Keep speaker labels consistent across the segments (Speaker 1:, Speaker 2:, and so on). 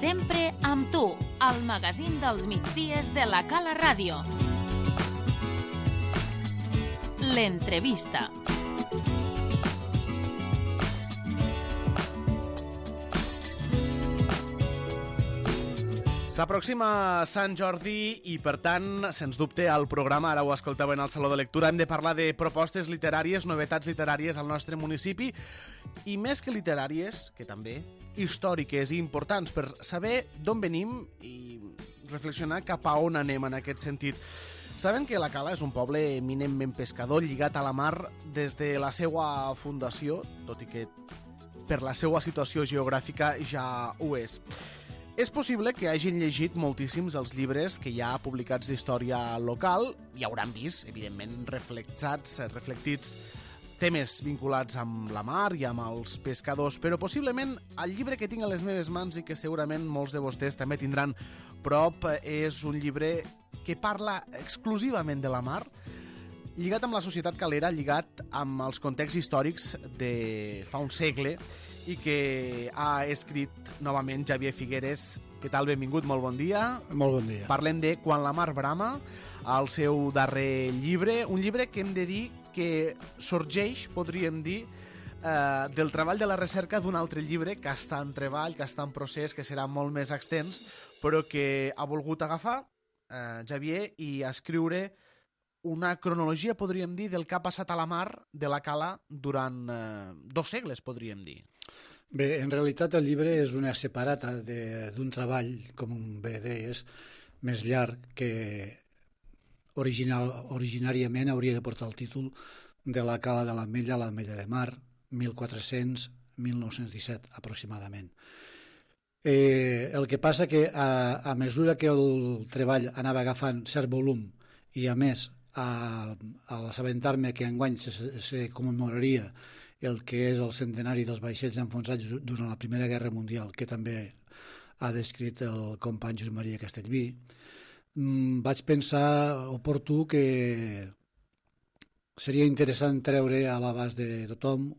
Speaker 1: Sempre amb tu, al magazín dels migdies de la Cala Ràdio. L'entrevista.
Speaker 2: S'aproxima Sant Jordi i, per tant, sens dubte, al programa, ara ho escolteu en el Saló de Lectura, hem de parlar de propostes literàries, novetats literàries al nostre municipi i, més que literàries, que també, històriques i importants per saber d'on venim i reflexionar cap a on anem en aquest sentit. Saben que la Cala és un poble eminentment pescador, lligat a la mar des de la seva fundació, tot i que per la seva situació geogràfica ja ho és. És possible que hagin llegit moltíssims dels llibres que hi ha publicats d'història local i hauran vist, evidentment, reflectits temes vinculats amb la mar i amb els pescadors, però possiblement el llibre que tinc a les meves mans i que segurament molts de vostès també tindran prop és un llibre que parla exclusivament de la mar, lligat amb la societat calera, lligat amb els contexts històrics de fa un segle i que ha escrit novament Xavier Figueres. Què tal? Benvingut, molt bon dia.
Speaker 3: Molt bon dia.
Speaker 2: Parlem de Quan la mar brama, el seu darrer llibre, un llibre que hem de dir que sorgeix, podríem dir, del treball de la recerca d'un altre llibre que està en treball, que està en procés, que serà molt més extens, però que ha volgut agafar Xavier i escriure una cronologia, podríem dir, del que ha passat a la mar de la Cala durant 2 segles, podríem dir.
Speaker 3: Bé, en realitat el llibre és una separata d'un treball, com bé deies, més llarg que originàriament hauria de portar el títol de la Cala de l'Ametlla a l'Ametlla de Mar, 1400-1917 aproximadament. El que passa que a mesura que el treball anava agafant cert volum i a més a l'assabentar-me que enguany se commemoraria el que és el centenari dels vaixells enfonsats durant la Primera Guerra Mundial, que també ha descrit el company Josep Maria Castellví, vaig pensar oportú que seria interessant treure a l'abast de tothom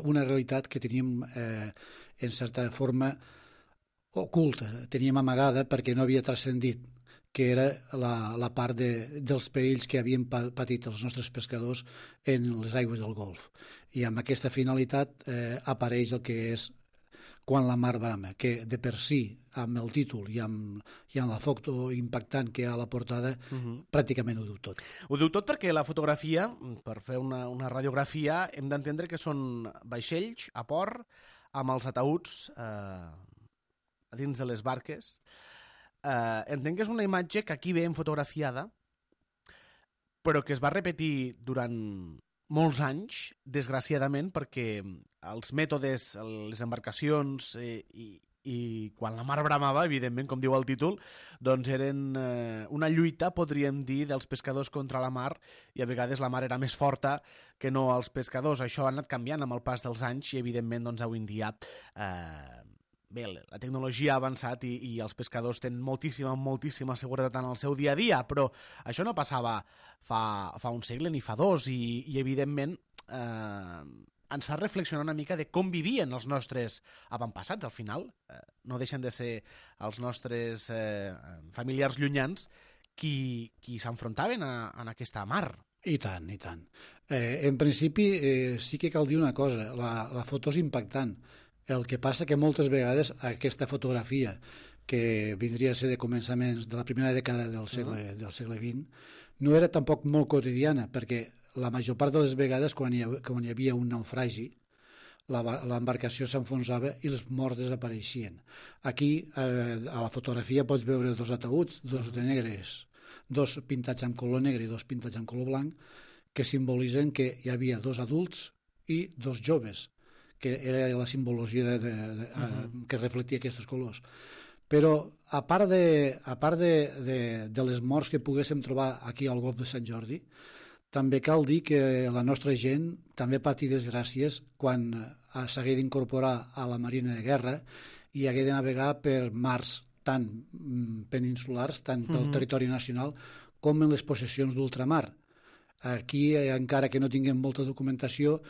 Speaker 3: una realitat que teníem en certa forma oculta, teníem amagada perquè no havia transcendit, que era la part dels perills que havien patit els nostres pescadors en les aigües del Golf. I amb aquesta finalitat apareix el que és Quan la mar brama, que de per si, amb el títol i amb la foto impactant que hi ha a la portada, pràcticament ho diu tot.
Speaker 2: Ho diu tot perquè la fotografia, per fer una radiografia, hem d'entendre que són vaixells a port amb els ataüts a dins de les barques. Entenc que és una imatge que aquí veiem fotografiada, però que es va repetir durant molts anys, desgraciadament, perquè els mètodes, les embarcacions i quan la mar bramava, evidentment, com diu el títol, doncs eren una lluita, podríem dir, dels pescadors contra la mar, i a vegades la mar era més forta que no els pescadors. Això ha anat canviant amb el pas dels anys i, evidentment, doncs, avui en dia bé, la tecnologia ha avançat i els pescadors tenen moltíssima seguretat en el seu dia a dia, però això no passava fa un segle ni fa 2 i evidentment ens fa reflexionar una mica de com vivien els nostres avantpassats. Al final no deixen de ser els nostres familiars llunyans qui s'enfrontaven en aquesta mar.
Speaker 3: I tant, i tant. En principi sí que cal dir una cosa, la foto és impactant. El que passa que moltes vegades aquesta fotografia, que vindria a ser de començaments de la primera dècada del segle XX, no era tampoc molt quotidiana, perquè la major part de les vegades, quan hi havia un naufragi, l'embarcació s'enfonsava i els morts desapareixien. Aquí, a la fotografia, pots veure 2 ataüts, 2 de negres, 2 pintats amb color negre i 2 pintats amb color blanc, que simbolitzen que hi havia 2 adults i 2 joves, que era la simbologia que reflectia aquests colors. Però, a part de les morts que poguéssim trobar aquí al Golf de Sant Jordi, també cal dir que la nostra gent també patí desgràcies quan s'hagué d'incorporar a la Marina de Guerra i hagué de navegar per mars tant peninsulars, tant pel territori nacional, com en les possessions d'ultramar. Aquí, encara que no tinguem molta documentació,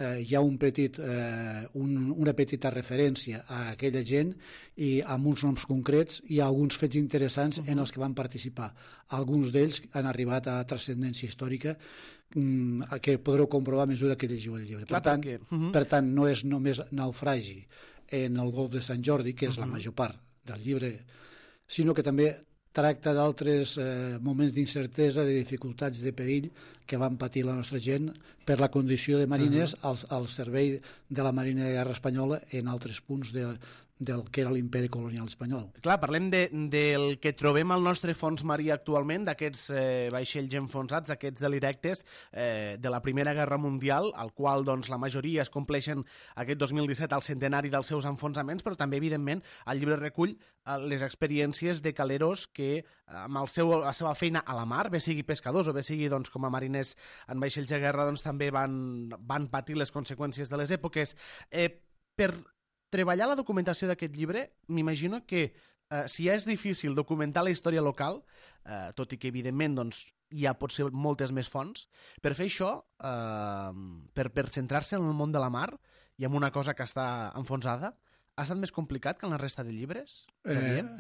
Speaker 3: hi ha una petita referència a aquella gent i amb uns noms concrets hi ha alguns fets interessants en els que van participar. Alguns d'ells han arribat a transcendència històrica que podreu comprovar a mesura que llegiu el llibre. Per tant, no és només naufragi en el golf de Sant Jordi, que és la major part del llibre, sinó que també tracta d'altres moments d'incertesa, de dificultats, de perill que van patir la nostra gent per la condició de mariners al servei de la Marina de Guerra espanyola en altres punts del que era l'imperi colonial espanyol.
Speaker 2: Clar, parlem del que trobem al nostre fons marí actualment, d'aquests vaixells enfonsats, aquests delirectes de la Primera Guerra Mundial, al qual doncs, la majoria es compleixen aquest 2017 al centenari dels seus enfonsaments, però també, evidentment, el llibre recull les experiències de caleros que amb la seva feina a la mar, bé sigui pescadors o bé sigui doncs, com a mariners en vaixells de guerra, doncs, també van patir les conseqüències de les èpoques. Per treballar la documentació d'aquest llibre, m'imagino que si ja és difícil documentar la història local, tot i que evidentment doncs, hi ha potser moltes més fonts, per fer això, per centrar-se en el món de la mar i en una cosa que està enfonsada, ha estat més complicat que en la resta de llibres?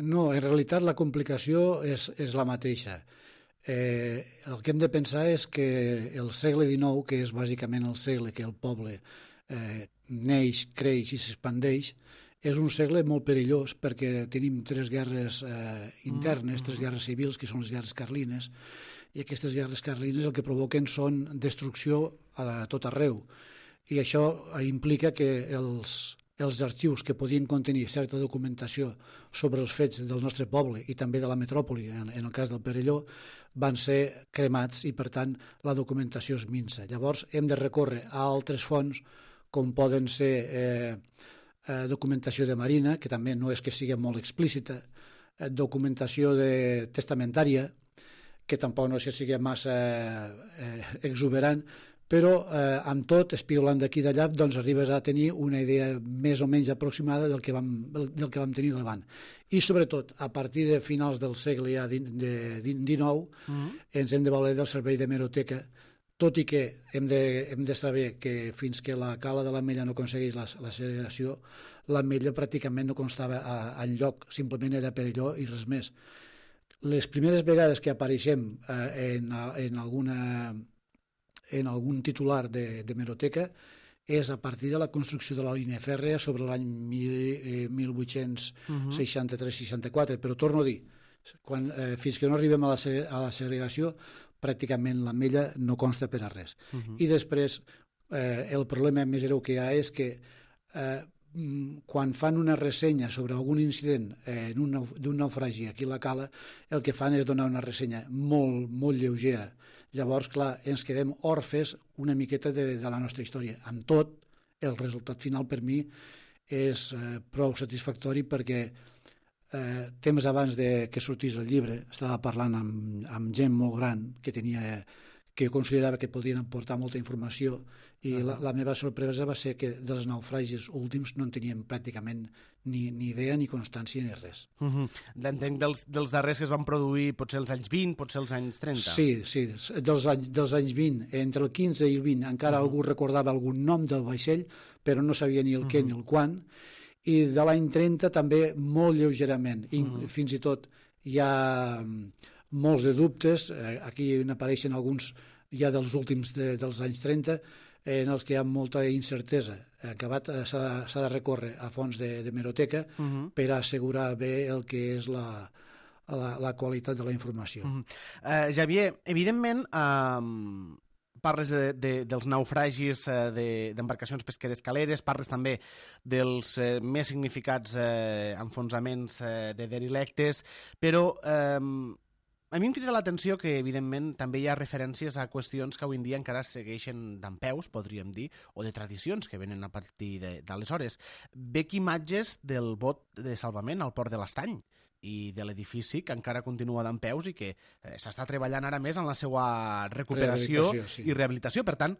Speaker 3: No, en realitat la complicació és la mateixa. El que hem de pensar és que el segle XIX, que és bàsicament el segle que el poble neix, creix i s'expandeix, és un segle molt perillós perquè tenim tres guerres internes, tres guerres civils, que són les guerres carlines, i aquestes guerres carlines el que provoquen són destrucció a tot arreu. I això implica que els arxius que podien contenir certa documentació sobre els fets del nostre poble i també de la metròpoli, en el cas del Perelló, van ser cremats i, per tant, la documentació es minsa. Llavors, hem de recórrer a altres fonts, com poden ser documentació de marina, que també no és que sigui molt explícita, documentació testamentària, que tampoc no és que sigui massa exuberant, però amb tot, espiulant d'aquí i d'allà, doncs arribes a tenir una idea més o menys aproximada del que vam tenir davant. I sobretot, a partir de finals del segle XIX, ens hem de valer del servei d'hemeroteca, tot i que hem de saber que fins que la cala de l'Ametlla no aconsegueix la segregació, l'Ametlla pràcticament no constava enlloc, simplement era Perelló i res més. Les primeres vegades que apareixem en algun titular d'hemeroteca és a partir de la construcció de la línia fèrrea sobre l'any 1863-64, però torno a dir, fins que no arribem a la segregació, pràcticament l'Ametlla no consta per a res. I després, el problema més greu que hi ha és que quan fan una ressenya sobre algun incident d'un naufragi aquí a la cala, el que fan és donar una ressenya molt, molt lleugera. Llavors, clar, ens quedem orfes una miqueta de la nostra història. Amb tot, el resultat final per mi és prou satisfactori perquè temps abans que sortís el llibre estava parlant amb gent molt gran que considerava que podien aportar molta informació i la meva sorpresa va ser que dels naufragis últims no en teníem pràcticament ni idea, ni constància, ni res.
Speaker 2: Entenc dels darrers que es van produir potser els anys 20, potser els anys 30.
Speaker 3: Sí, dels anys 20, entre el 15 i el 20 encara algú recordava algun nom del vaixell, però no sabia ni el què ni el quan, i de l'any 30 també molt lleugerament. Fins i tot hi ha molts de dubtes, aquí n'apareixen alguns ja dels últims dels anys 30, en els que hi ha molta incertesa. Acabat s'ha de recórrer a fonts d'hemeroteca per assegurar bé el que és la qualitat de la informació.
Speaker 2: Xavier, evidentment parles dels naufragis d'embarcacions pesqueres caleres, parles també dels més significats enfonsaments de derilectes, però a mi em crida l'atenció que, evidentment, també hi ha referències a qüestions que avui en dia encara segueixen dempeus, podríem dir, o de tradicions que venen a partir d'aleshores. Veig imatges del bot de salvament al port de l'Estany i de l'edifici que encara continua dempeus i que s'està treballant ara més en la seva recuperació i rehabilitació. Per tant,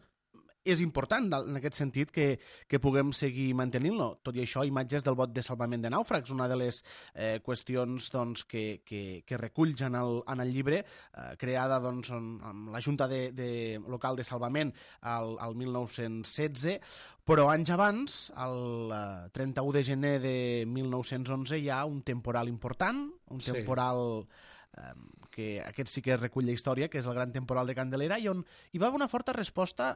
Speaker 2: és important en aquest sentit que puguem seguir mantenint-lo. Tot i això, imatges del bot de salvament de nàufrags, una de les qüestions doncs, que reculls en el llibre, creada doncs, amb la Junta Local de Salvament al 1916, però anys abans, el 31 de gener de 1911, hi ha un temporal important, un temporal que aquest sí que recull la història, que és el gran temporal de Candelera, i on hi va haver una forta resposta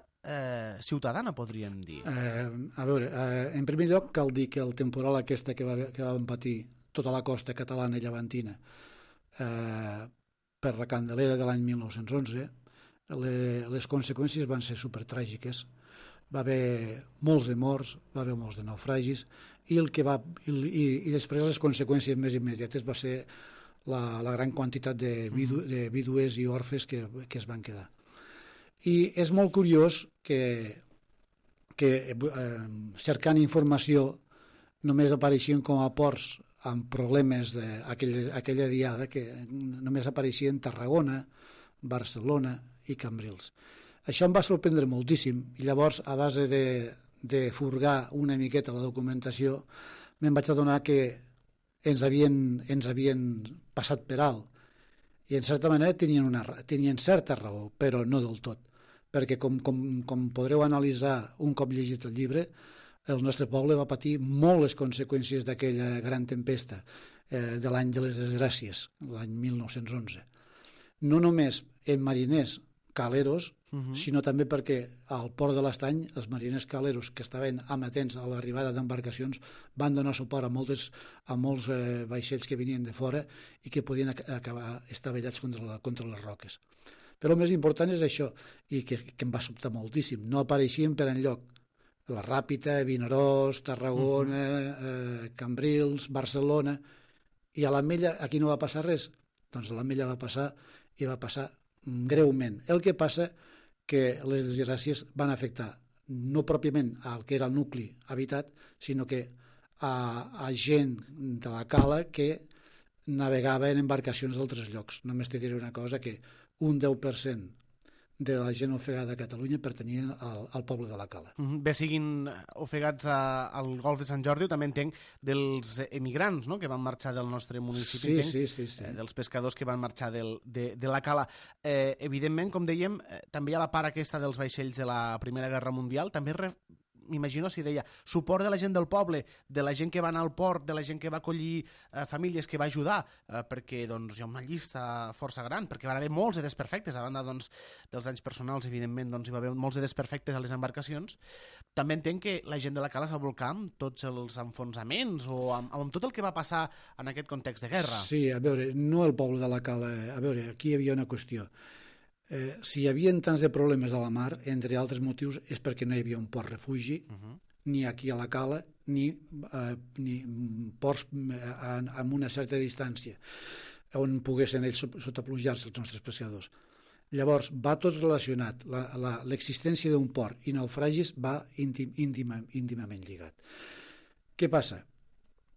Speaker 2: ciutadana, podríem dir.
Speaker 3: A veure, en primer lloc cal dir que el temporal aquesta que vam patir tota la costa catalana i llevantina per la Candelera de l'any 1911, les conseqüències van ser supertràgiques. Va haver molts de morts, va haver molts de naufragis, i després les conseqüències més immediates va ser la gran quantitat de vídues i orfes que es van quedar. I és molt curiós que cercant informació només apareixien com a ports amb problemes d'aquella diada, que només apareixien Tarragona, Barcelona i Cambrils. Això em va sorprendre moltíssim, i llavors, a base de furgar una miqueta la documentació, me'n vaig adonar que ens havien passat per alt, i en certa manera tenien certa raó, però no del tot, perquè com podreu analitzar un cop llegit el llibre, el nostre poble va patir molt les conseqüències d'aquella gran tempesta de l'any de les desgràcies, l'any 1911. No només en mariners caleros, sinó també perquè al port de l'Estany els mariners caleros que estaven amatents a l'arribada d'embarcacions van donar suport a molts vaixells que venien de fora i que podien acabar estavellats contra les roques. Però el més important és això, i que em va sobtar moltíssim. No apareixien per enlloc la Ràpita, Vinaròs, Tarragona, Cambrils, Barcelona, i a l'Ametlla aquí no va passar res. Doncs a l'Ametlla va passar, i va passar greument. El que passa que les desgràcies van afectar no pròpiament al que era el nucli habitat, sinó que a gent de la cala que navegava en embarcacions d'altres llocs. Només te diré una cosa, que un 10% de la gent ofegada a Catalunya pertanyien al poble de la Cala.
Speaker 2: Bé siguin ofegats al Golf de Sant Jordi, o també entenc dels emigrants, no?, que van marxar del nostre municipi.
Speaker 3: Sí.
Speaker 2: Dels pescadors que van marxar de la Cala. Evidentment, com dèiem, també hi ha la part aquesta dels vaixells de la Primera Guerra Mundial, també m'imagino si deia suport de la gent del poble, de la gent que va anar al port, de la gent que va acollir famílies, que va ajudar, perquè doncs, hi ha una llista força gran, perquè van haver molts de desperfectes, a banda doncs, dels danys personals, evidentment, doncs, hi va haver molts de desperfectes a les embarcacions. També entenc que la gent de la Cala s'ha volcat amb tots els enfonsaments o amb tot el que va passar en aquest context de guerra.
Speaker 3: Sí, a veure, no el poble de la Cala, a veure, aquí hi havia una qüestió. Si hi havia tants de problemes a la mar, entre altres motius, és perquè no hi havia un port refugi, ni aquí a la Cala, ni ports amb una certa distància on poguessin ells sotaplujar-se els nostres pescadors. Llavors, va tot relacionat. L'existència d'un port i naufragis va íntimament lligat. Què passa?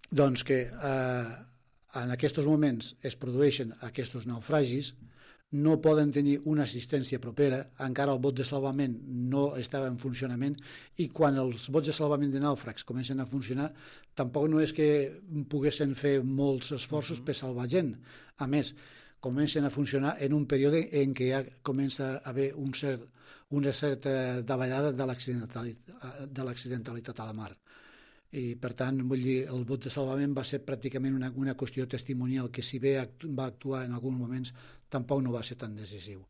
Speaker 3: Doncs que en aquests moments es produeixen aquests naufragis, no poden tenir una assistència propera, encara el bot de salvament no estava en funcionament, i quan els bots de salvament de nàufrags comencen a funcionar, tampoc no és que poguessin fer molts esforços per salvar gent. A més, comencen a funcionar en un període en què ja comença a haver una certa davallada de l'accidentalitat a la mar. I per tant, vull dir, el bot de salvament va ser pràcticament una qüestió testimonial, que si bé va actuar en alguns moments tampoc no va ser tan decisiu.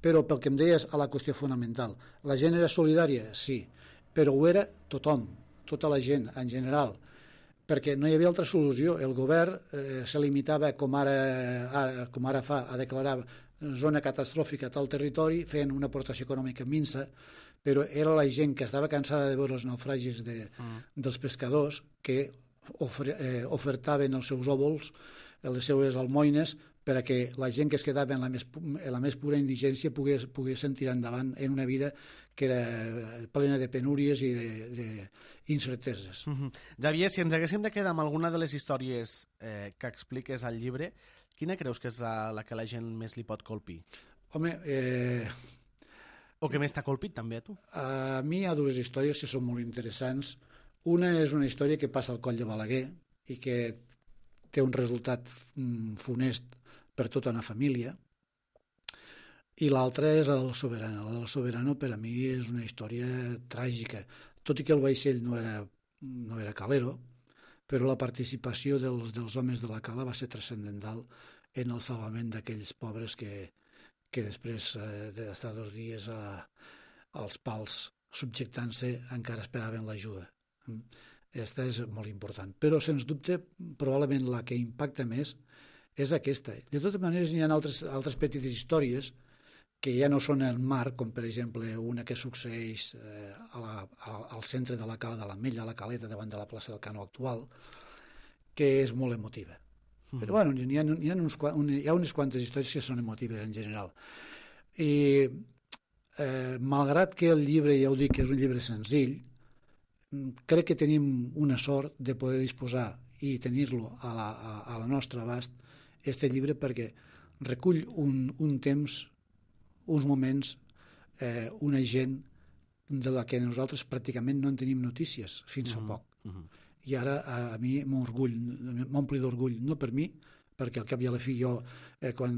Speaker 3: Però pel que em deies a la qüestió fonamental, la gent era solidària? Sí, però ho era tothom, tota la gent en general, perquè no hi havia altra solució. El govern se limitava, com ara fa, a declarar zona catastròfica a tal territori, fent una aportació econòmica minsa, però era la gent que estava cansada de veure els naufragis dels pescadors que ofertaven els seus òvols, les seues almoines, perquè la gent que es quedava en la més pura indigència poguessin tirar endavant en una vida que era plena de penúries i d'incerteses.
Speaker 2: Xavier, si ens haguéssim de quedar amb alguna de les històries que expliques al llibre, quina creus que és la que la gent més li pot colpir?
Speaker 3: Home,
Speaker 2: O que més t'ha colpit també a tu?
Speaker 3: A mi hi ha dues històries que són molt interessants. Una és una història que passa al Coll de Balaguer i que té un resultat funest per tota una família, i l'altra és la del Soberano. La del Soberano per a mi és una història tràgica, tot i que el vaixell no era calero, però la participació dels homes de la cala va ser transcendental en el salvament d'aquells pobres que després d'estar 2 dies als pals subjectant-se encara esperaven l'ajuda. Aquesta és molt important. Però, sens dubte, probablement la que impacta més és aquesta. De totes maneres, hi ha altres petites històries que ja no són el mar, com per exemple una que succeeix al centre de la cala de l'Ametlla, a la caleta davant de la plaça del Canó actual, que és molt emotiva. Però bueno, hi ha unes quantes històries que són emotives en general. I malgrat que el llibre, ja ho dic, és un llibre senzill, crec que tenim una sort de poder disposar i tenir-lo a la nostra abast, este llibre, perquè recull un temps, uns moments, una gent de la que nosaltres pràcticament no en tenim notícies fins fa poc. I ara a mi m'ompli d'orgull, no per mi, perquè al cap i a la fi jo, quan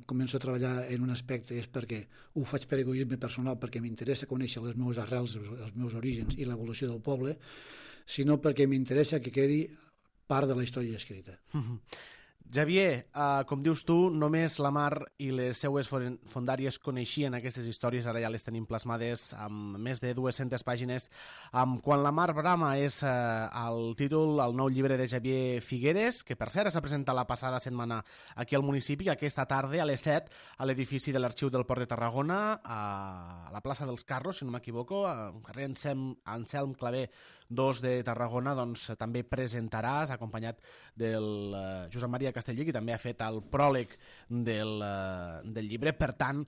Speaker 3: començo a treballar en un aspecte és perquè ho faig per egoisme personal, perquè m'interessa conèixer les meves arrels, els meus orígens i l'evolució del poble, sinó perquè m'interessa que quedi part de la història escrita.
Speaker 2: Xavier, com dius tu, només la Mar i les seues fondàries coneixien aquestes històries, ara ja les tenim plasmades amb més de 200 pàgines. Quan la Mar brama és el títol, el nou llibre de Xavier Figueres, que per cert s'ha presentat la passada setmana aquí al municipi, aquesta tarda a les 7 a l'edifici de l'Arxiu del Port de Tarragona, a la plaça dels Carros, si no m'equivoco, al carrer Anselm Clavé 2 de Tarragona, doncs també presentaràs, acompanyat del Josep Maria Castellví, que també ha fet el pròleg del llibre. Per tant,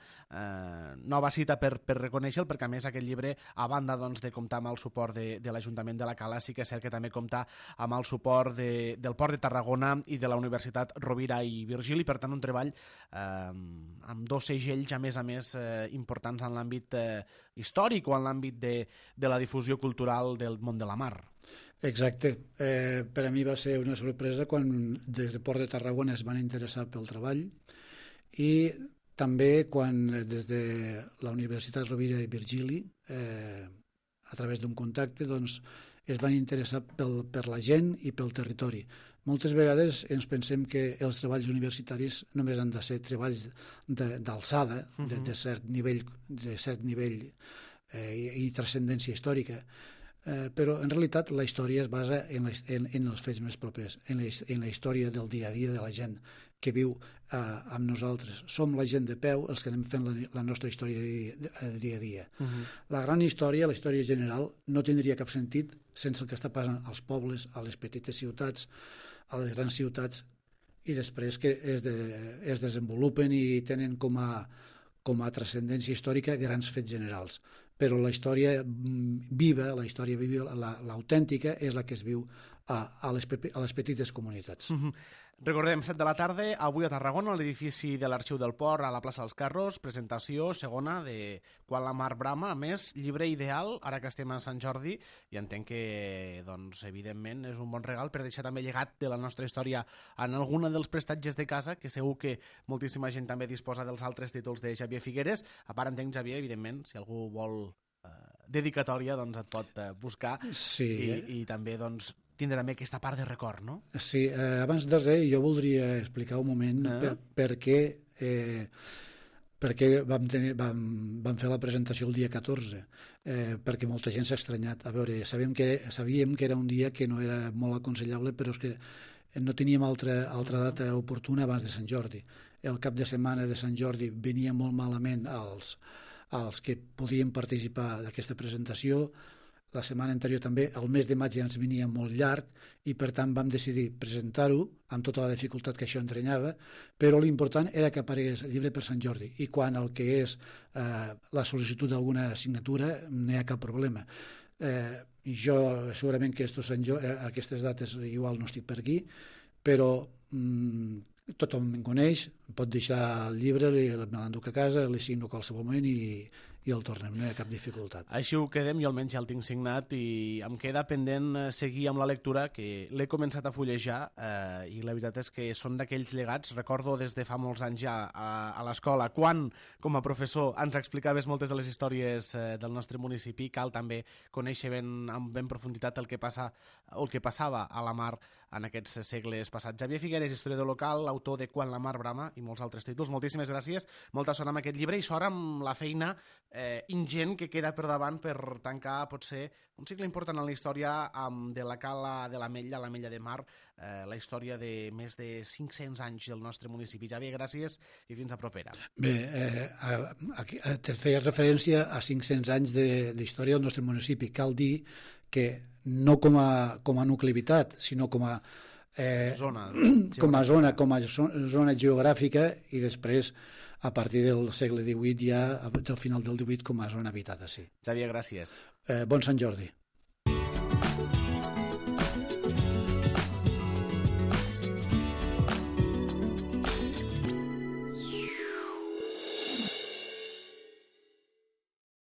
Speaker 2: nova cita per reconèixer-lo, perquè a més aquest llibre, a banda doncs, de comptar amb el suport de l'Ajuntament de la Cala, sí que és cert que també compta amb el suport del Port de Tarragona i de la Universitat Rovira i Virgili, per tant un treball amb 2 segells, a més, importants en l'àmbit històric o en l'àmbit de la difusió cultural del món de la mar.
Speaker 3: Exacte. Per a mi va ser una sorpresa quan des de Port de Tarragona es van interessar pel treball i també quan des de la Universitat Rovira i Virgili, a través d'un contacte, doncs, es van interessar per la gent i pel territori. Moltes vegades ens pensem que els treballs universitaris només han de ser treballs d'alçada, de cert nivell i transcendència històrica, però en realitat la història es basa en els fets més propers, en la història del dia a dia de la gent que viu amb nosaltres. Som la gent de peu els que anem fent la nostra història de dia a dia. La gran història, la història general, no tindria cap sentit sense el que està passant als pobles, a les petites ciutats, a les grans ciutats, i després que es desenvolupen i tenen com a transcendència històrica grans fets generals. Però la història viva, l'autèntica, és la que es viu a les petites comunitats.
Speaker 2: Recordem, 7 de la tarda, avui a Tarragona, a l'edifici de l'Arxiu del Port, a la plaça dels Carros, presentació segona de Quan la Mar brama. A més, llibre ideal, ara que estem a Sant Jordi, i entenc que, doncs, evidentment, és un bon regal per deixar també llegat de la nostra història en alguna dels prestatges de casa, que segur que moltíssima gent també disposa dels altres títols de Xavier Figueres. A part, entenc, Xavier, evidentment, si algú vol dedicatòria, doncs et pot buscar.
Speaker 3: Sí.
Speaker 2: I també, doncs, tindre també aquesta part de record, no?
Speaker 3: Sí, abans de res jo voldria explicar un moment per què vam fer la presentació el dia 14, perquè molta gent s'ha estranyat. A veure, sabíem que era un dia que no era molt aconsellable, però és que no teníem altra data oportuna abans de Sant Jordi. El cap de setmana de Sant Jordi venia molt malament als que podien participar d'aquesta presentació. La setmana anterior també, el mes de maig ja ens venia molt llarg i per tant vam decidir presentar-ho amb tota la dificultat que això entrenyava, però l'important era que aparegués el llibre per Sant Jordi, i quan el que és la sol·licitud d'alguna assignatura no hi ha cap problema. Jo segurament que aquestes dates igual no estic per aquí, però tothom em coneix, pot deixar el llibre, me l'enduc a casa, li signo a qualsevol moment i i el tornem, no hi ha cap dificultat.
Speaker 2: Així ho quedem, jo almenys ja el tinc signat i em queda pendent seguir amb la lectura, que l'he començat a fullejar i la veritat és que són d'aquells llegats. Recordo des de fa molts anys ja a l'escola, quan com a professor ens explicaves moltes de les històries del nostre municipi, cal també conèixer amb ben profunditat el que passava a la mar en aquests segles passats. Xavier Figueres, historiador local, autor de Quan la mar brama i molts altres títols. Moltíssimes gràcies, molta sort amb aquest llibre i sort amb la feina ingent que queda per davant per tancar potser un cicle important en la història de la cala de l'Ametlla, l'Ametlla de Mar, la història de més de 500 anys del nostre municipi. Xavier, gràcies i fins a propera.
Speaker 3: Bé, te feia referència a 500 anys d'història del nostre municipi. Cal dir que no com a nucleïtat, sinó com a zona geogràfica i després, a partir del segle XVIII, ja del final del XVIII, com a zona habitada, sí.
Speaker 2: Xavier, gràcies.
Speaker 3: Bon Sant Jordi.